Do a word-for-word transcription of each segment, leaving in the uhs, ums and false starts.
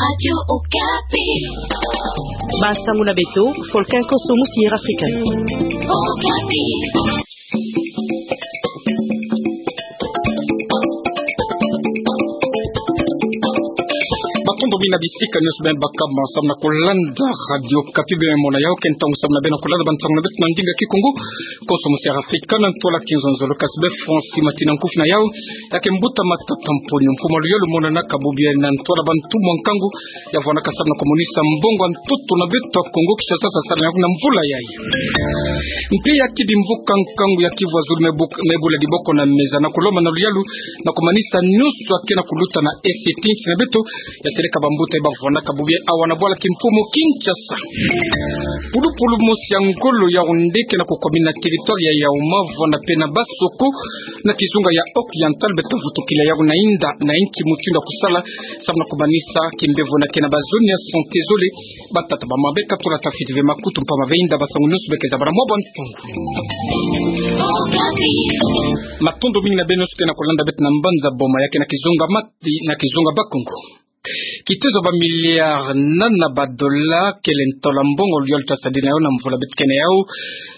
Radio Okapi. Ba sango na beto, Volcan Konso Musiera Africana. Okapi. Matondo mingi na bisika nyonso beno baka ma samu na kolanda Radio Okapi, beno mona yawu ke ntangu samu na beno kolanda bansango na beto na ndinga Kikongo. Konso Musiera Africana, na ntwala Kinzonzolo, kasi bê Français Matina Nkufi na yawu. Ya ke mbuta matata mponyo, mfumu a luyalu monanaka bubu ye na ntwala bantu mwa nkangu ya vwanaka samu na komonisa mbongo a ntoto na beto a Kongo Kinshasa, sasala na mvula yayi. Mpe ya ki bimvuka nkangu ya Kivu Zulu mebuk-, mebula diboko na meza na kolomba na luyalu na komanisa nyonso ya ke na kuluta na F C T na beto, ya seleka bambuta ye bavwanaka bubu ye awa na bwala kimfumu Kinshasa. Pulupulu mosi ya ngolo Yaoundé ke na kokomina territoire ya Yaouma, vwanda mpe na Bassoko na kizunga ya Oriental, beto vutukila yawu na inda na inki mutindu ya kosala samu na komanisa kimbevo na ke na bazone ya santé zole. Batata, bamama, beka tula tafiti ve makutu mpamba ve inda basango nyonso beke zabala mwa bantu. Matondo mingi na beno nyonso ke na kolanda beto na mbanza Boma ya ke na kizunga Mati na kizunga Bakongo. Kitezo ba milliard nana ba dollars kele ntolo a mbongo luyalu tasadila na yawu na mvula beto ke na yawu.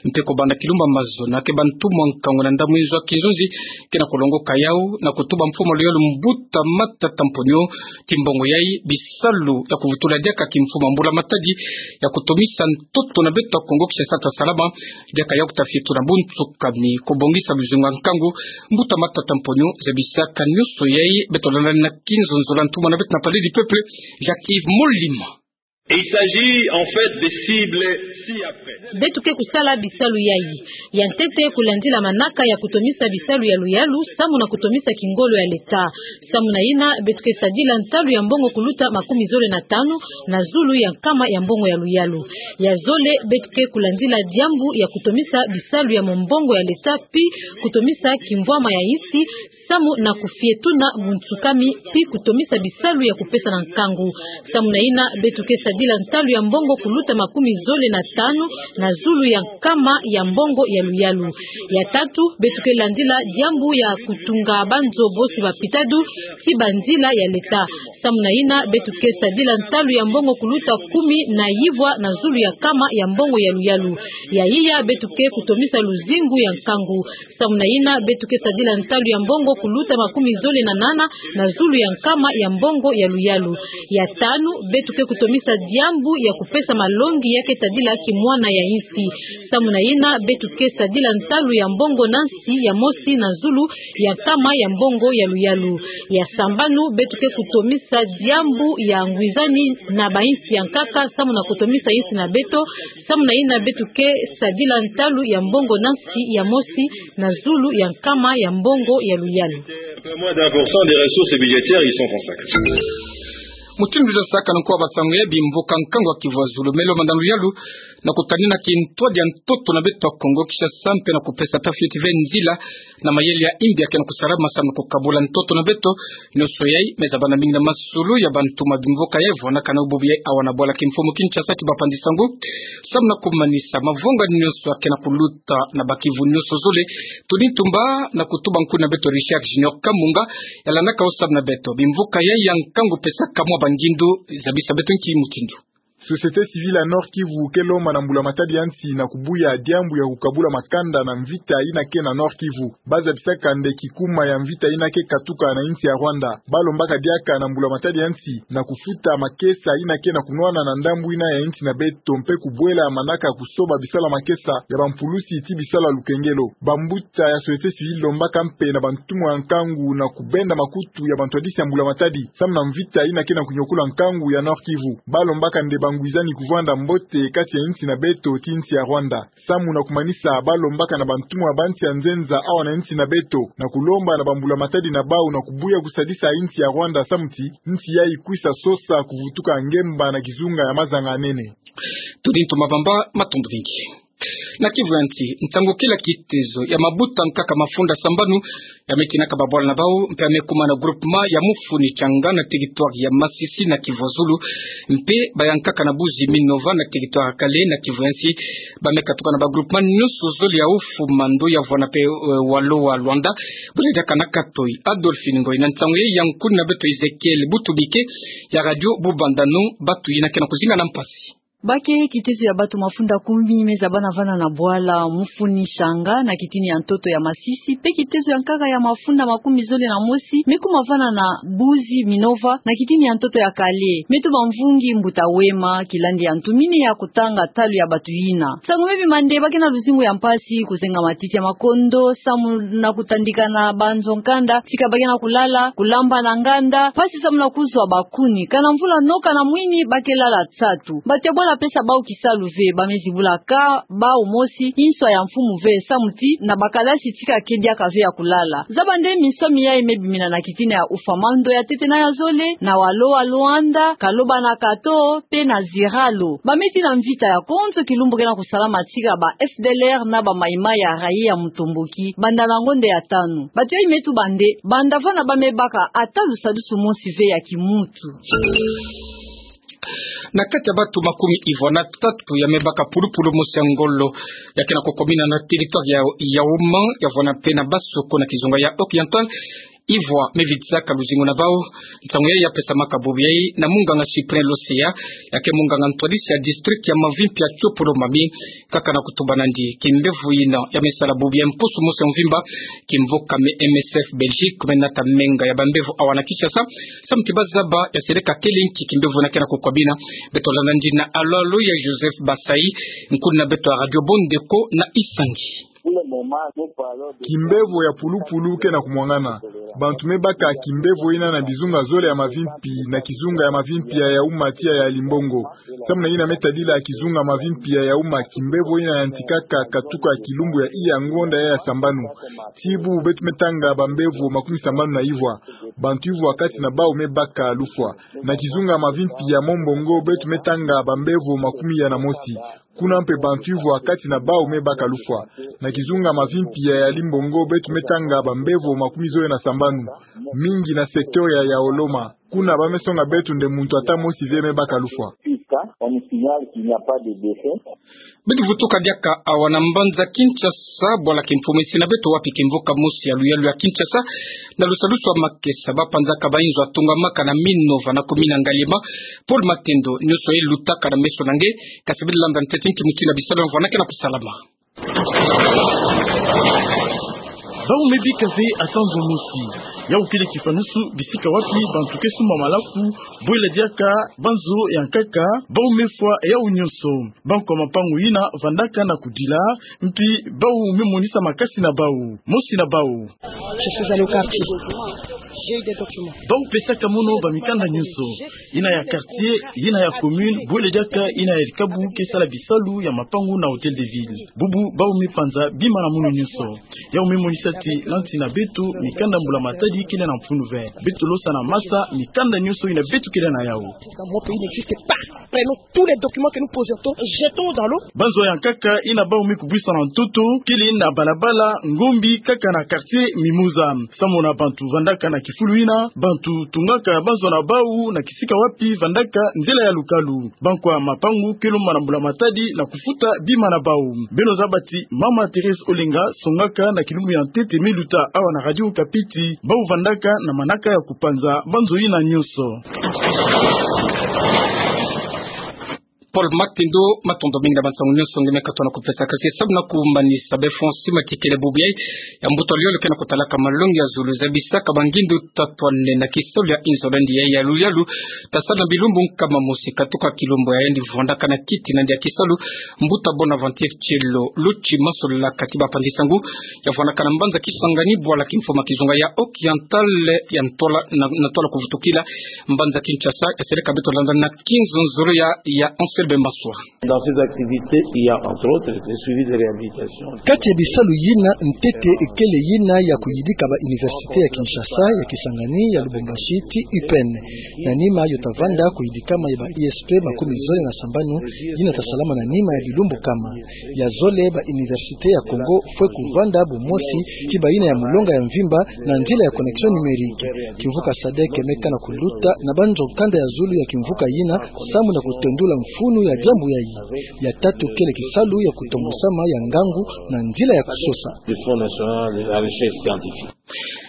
Mpe kobanda kilumbu ya mazono, ke bantu mwa nkangu na ndambu inzo ya kinzonzi ke na kolongoka yawu na kotuba mfumu a luyalu mbuta matata mponyo ti mbongo yayi, bisalu ya kuvutula diaka kimfumu a mbula matadi ya kotomisa ntoto na beto a Kongo Kinshasa tasalama, diaka yawu kutafitula buntsukami, kobongisa luzingu ya nkangu. Mbuta matata mponyo, zabisaka nyonso yayi, beto landa na Kinzonzolo na ntumwa na beto na Palais du Peuple, Jacques-Yves Molima. Il s'agit en fait des cibles ci-après. Beto ke kusala bisalu yayi. Ya ntete, kulandila manaka ya kotomisa bisalu ya luyalu samu na kotomisa kingolo ya leta. Samu na yina, beto ke sadila ntalu ya mbongo kuluta makumi zole na tanu na zulu ya nkama ya mbongo ya luyalu. Ya zole, beto ke kulandila diambu ya kotomisa bisalu ya mombongo ya leta, pi kotomisa kimvwama ya insi, samu na kufietuna buntsukami, pi kotomisa bisalu ya kopesa na nkangu. Samu na yina, beto ke sadila ntalu ya mbongo kuluta makumi zole na tanu na zulu ya nkama ya mbongo ya luyalu. Ya tatu, beto ke landila diambu ya kotunga banzo bosi ba pitadu ti banzila ya leta. Samu na yina, beto ke sadila ntalu ya mbongo kuluta kumi na yivwa na zulu ya nkama ya mbongo ya luyalu. Ya iya, beto ke kotomisa luzingu ya nkangu. Samu na yina, beto ke sadila ntalu ya mbongo kuluta makumi zole na nana na zulu ya nkama ya mbongo ya luyalu. Ya tanu, beto ke kotomisa diambu ya kopesa malongi ya ke tadila kimwana ya insi. Samu na yina, beto ke sadila ntalu ya mbongo na nsi ya mosi na zulu ya nkama ya mbongo ya luyalu. Ya sambanu, beto ke kotomisa diambu ya ngwizani na ba insi ya nkaka, samu na kotomisa insi na beto. Samu na yina, beto ke sadila ntalu ya mbongo na nsi ya mosi na zulu ya nkama ya mbongo ya luyalu. Un peu moins d'un pour cent des ressources budgétaires y sont consacrées. Mutindu za saka na nkuwa basango ya bimvuka nkangu ya Kivu Zulu, melo manda na luyalu na kotanina kintwadi ya ntoto na beto a Kongo Kinshasa mpe na kopesa tafiti ve nzila na mayele ya imbi ya ke na kosalama samu na kokabula ntoto na beto. Nyonso yayi meza bana mingi na masolo ya bantu ma bimvuka yayi, vwanaka na bubu yayi awa na bwala kimfumu Kinshasa, ti bapanzi sango samu na komanisa mavonga nyonso ya ke na kuluta na ba Kivu nyonso zole. Tony Tumba na kotuba nkuni na beto Richard Junior Kamunga, ya landaka wo samu na beto bimvuka yayi ya nkangu, pesaka mwa bangindu, zabisa beto nki mutindu. Société civile ya Nord-Kivu ke lomba na mbula matadi ya nsi na kubuya diambu ya kukabula makanda na mvita yina ke na Nord-Kivu. Ba zabisaka nde kikuma ya mvita yina ke katuka na insi ya Rwanda. Ba lombaka diaka na mbula matadi ya nsi na kufuta makesa yina ke na kunwana na ndambu yina ya insi na beto mpe kubwela manaka kusoba bisalu ya makesa ya bampulusi ti bisalu ya lukengelo. Bambuta ya société civile lombaka mpe na bantumwa ya nkangu na kubenda makutu ya bantwadisi ya mbula matadi samu na mvita yina ke na kunyokola nkangu ya Nord-Kivu. Ba lombaka nde bangwizani kuvwanda mbote kati ya insi na beto ti insi ya Rwanda. Samu na kumanisa, ba lombaka na bantumwa ba nsi ya nzenza awa na insi na beto na kulomba na bambula matadi na bau na kubuya kusadisa insi ya Rwanda samu ti insi yayi kwisa sosa kuvutuka ngemba na kizunga ya mazanga manene. Tony Tumba Bamba, matondo mingi. Na Kivu ya nsi, nsangu kila kitezo ya mabuta nkaka mafunda sambanu ya me tinaka babwala na bau, mpe ya me kuma na groupement ya Mufuni Changa na territoire ya Masisi na Kivu ya Zulu, mpe ba ya nkaka na Buzi Minova na territoire ya Kale na Kivu ya nsi, ba me katuka na ba groupement nyonso zole ya Oufou-Mando ya vwanda mpe, eh, Walu-Walu-Anda, bwele diaka na Katoi. Adolphine Ngoy na nsangu yayi ya nkuni na beto Ezekiel Butumike ya Radio Bubandano, batu yina ke na kuzinga na mpasi. Ba ke kitezo ya batu mafunda kumi me zabana vana na bwala Mufuni Changa na kitini ya ntoto ya Masisi, mpe kitezo ya nkaka ya mafunda makumi zole na mosi me kuma vana na Buzi Minova na kitini ya ntoto ya Kale. Meto bamvungi mbuta Wema, kilandi ya ntumini ya kutanga talu ya batu yina. Nsangu me bima nde ba ke na luzingu ya mpasi, kuzenga matiti ya makondo, samu na kutandikana banzo nkanda, tika ba ke na kulala, kulamba na nganda, mpasi samu na kuzwa bakuni. Kana mvula noka na mwini, ba ke lala nsatu. Batu ya bwala pesa bau kisalu ve, ba me zibula ka bau mosi, inswa ya mfumu ve, samu ti na bakalasi tika ke diaka ve ya kulala. Zaba nde minswa miayi me bimina na kitini ya Oufou-Mando ya tete na ya zole, na Walu-Walu-Anda, Kaloba na Kato, mpe na Ziralo. Ba me tina mvita ya konzo kilumbu ke na kusalama tika ba F D L R na ba Maï-Maï ya rayi ya mutomboki, banda na ngonde ya tanu. Batu yayi me tuba nde, banda vana ba me baka ata lusadusu mosi ve ya kimutu. Na kati ya batu makumi ivwa na tatu ya me baka pulupulu mosi ya ngolo, ya ke na kokomina na territoire ya, ya Ouman, ya vwanda mpe na Bassoko na kizunga ya Oriental, ivwa me vidisaka luzingu na bau. Nsangu yayi ya pesamaka bubu yayi na munganga Cyprien Loseya, ya ke munganga ntwadisi ya district ya mavimpi ya Tsopolo-Mami, kaka na kutuba nandi. Kimbevo yina ya me sala bubu yayi mpusu mosi ya mvimba, kimvo kame M S F Belgique me nata menga ya bambevo awa na Kinshasa, samu ti ba zaba ya seleka kele nki kimbevo yina ke na kukomina. Beto landa nandi na alo-alo ya Joseph Basai, nkuni na beto ya Radio Bondeko na Isangi. Kimbevo ya pulupulu ke na kumwangana. Bantu me baka kimbevo yina na bizunga zole ya mavimpi, na kizunga ya mavimpi ya Yaouma tii ya Limbongo. Samu na yina me tadila kizunga mavimpi ya Yaouma, kimbevo yina yantikaka katuka kilumbu ya iya ngonda ya, ya sambanu. Tii bubu beto me tanga bambevo makumi sambanu na ivwa. Bantu ivwa kati na bau me baka lufwa. Na kizunga mavimpi ya Mombongo beto me tanga bambevo makumi iya na mosi. Kuna mpe bantu ivwa kati na bau me baka lufwa. Na kizunga mavimpi ya, ya Limbongo beto me tanga bambevo makumi zole na sambanu. Mingi na secteur ya, ya Oloma. Kuna ba me songa beto nde muntu ata mosi ve me baka lufwa. Beto vutuka diaka awa na mbanza Kinshasa, bwala kimfumu esi na beto wapi kimvuka mosi ya luyalu ya Kinshasa, na lusadusu wa makesa, ba panzaka ba inzo atungamaka na Minova na commune Ngaliema. Paul Matendo, nyonso ye lutaka na meso na nge, kasi bele landa ntete nki mutindu ya bisalu ya mvwama ke na kusalama. Bau me bika ve ata nzo mosi. Yau kele kifanusu bisika wapi bantu ke sumba malaku, bwela diaka banzo ya nkaka, bau me fwa yau nyonso. Bankwa mapangu yina vandaka na kudila, mpi bau me monisa makasi na bau. Mosi na bau. Je suis allé au quartier. J'ai eu des documents. Bau pesaka mono bamikanda nyonso. Yina ya quartier, yina ya commune, bwela diaka yina ya likabu ke sala bisalu ya mapangu na Hôtel de Ville. Bubu bau me panza bima na mono nyonso. Yau me monisa ti lanti na beto mikanda mbula matadi kele na mfunu ve. Beto losa na masa mikanda nyonso yina beto kele na yau. Dans mon pays n'existe pas. Prenons tous les documents que nous possédons, jetons dans l'eau. Banzo ya nkaka yina bau me kubwisa na ntoto, kele na balabala, ngombi, kaka na quartier Mimosa. Samu na bantu vandaka na kifulu yina, bantu tungaka banzo na bau na kisika wapi vandaka nzila ya lukalu. Bankwa mapangu ke lomba na mbula matadi na kufuta bima na bau. Beno zaba ti Mama Thérèse Olenga songaka na kilumbu ya ntete me luta awa na Radio Okapi ti bau vandaka na manaka ya kupanza banzo yina nyonso. Paul Matendo, matondo mingi na bansangu nyonso nge me katuka na kupesa. Kasi samu na kumanisa, be fonds sima kikele bubu yayi ya mbuta luyalu ke na kutalaka malongi ya zulu, zabisaka bangindu tatwane na kisalu ya inzo na yandi ya luyalu, tasala na bilumbu nkama mosi katuka kilumbu ya yandi vandaka na kiti na yandi ya kisalu, mbuta Bonaventure Tielo Lotsi Masolila, kati ba panzi sangu, ya vandaka na mbanza Kisangani, bwala kimfumu kizunga ya Oriental, ya ntwala, na, na ntwala kuvutukila mbanza Kinshasa, ya seleka beto landa na kinzonzolo ya, ya Bemba Swa. Dans ces activités, il y a entre autres le suivi de réhabilitation. Kati ya bisalu yina, ntete kele yina ya kuyidika ba université ya Kinshasa, ya Kisangani, ya Lubumbashi, ti U P N. Na nima yo tavanda kuyidikama ya ba I S P makumi zole na sambanu, yina tasalama na nima ya bilumbu kama. Ya zole, ba université ya Congo fwe kuvanda bumosi ti bayina ya mulonga ya mvimba na nzila ya connexion numérique. Kimvuka sadek me kana kuluta na banzo kanda ya zulu ya kimvuka yina, samu na kutendula mfunu ya diambu yayi. Ya tatu kele kisalu ya kutombusama ya ngangu na nzila ya kusosa. Du Fonds national de la recherche scientifique.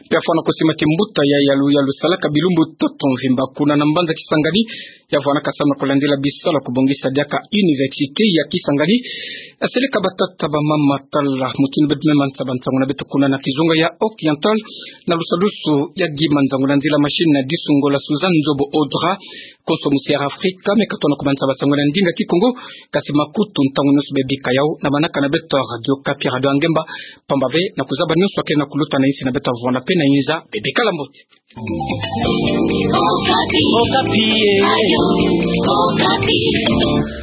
Pia fwana kusima ti mbuta ya yalu yalu salaka bilumbu ntoto mvimba kuna na mbanza Kisangani, ya vwanaka samu na kulandila bisalu ya kubongisa diaka université ya Kisangani. Aseleka batata bamama, tala mutindu beto me mansa ba nsangu na beto kuna na kizunga ya Occidental, na lusadusu ya Guy Manzangu, na nzila machine na Disungo la Suzanne Nzobo Audra. Konso musi Air Afrika me katona kumansa ba nsangu na ndinga Kikongo, kasi makutu ntangu nyonso bebika yawu na manaka na beto Radio Okapi, Radio ya Ngemba, pamba ve na kuzaba nyonso akele na kuluta na insi na beto. Avwanda mpe na inza, bebika la mbote. Okapi. Okapi, eh.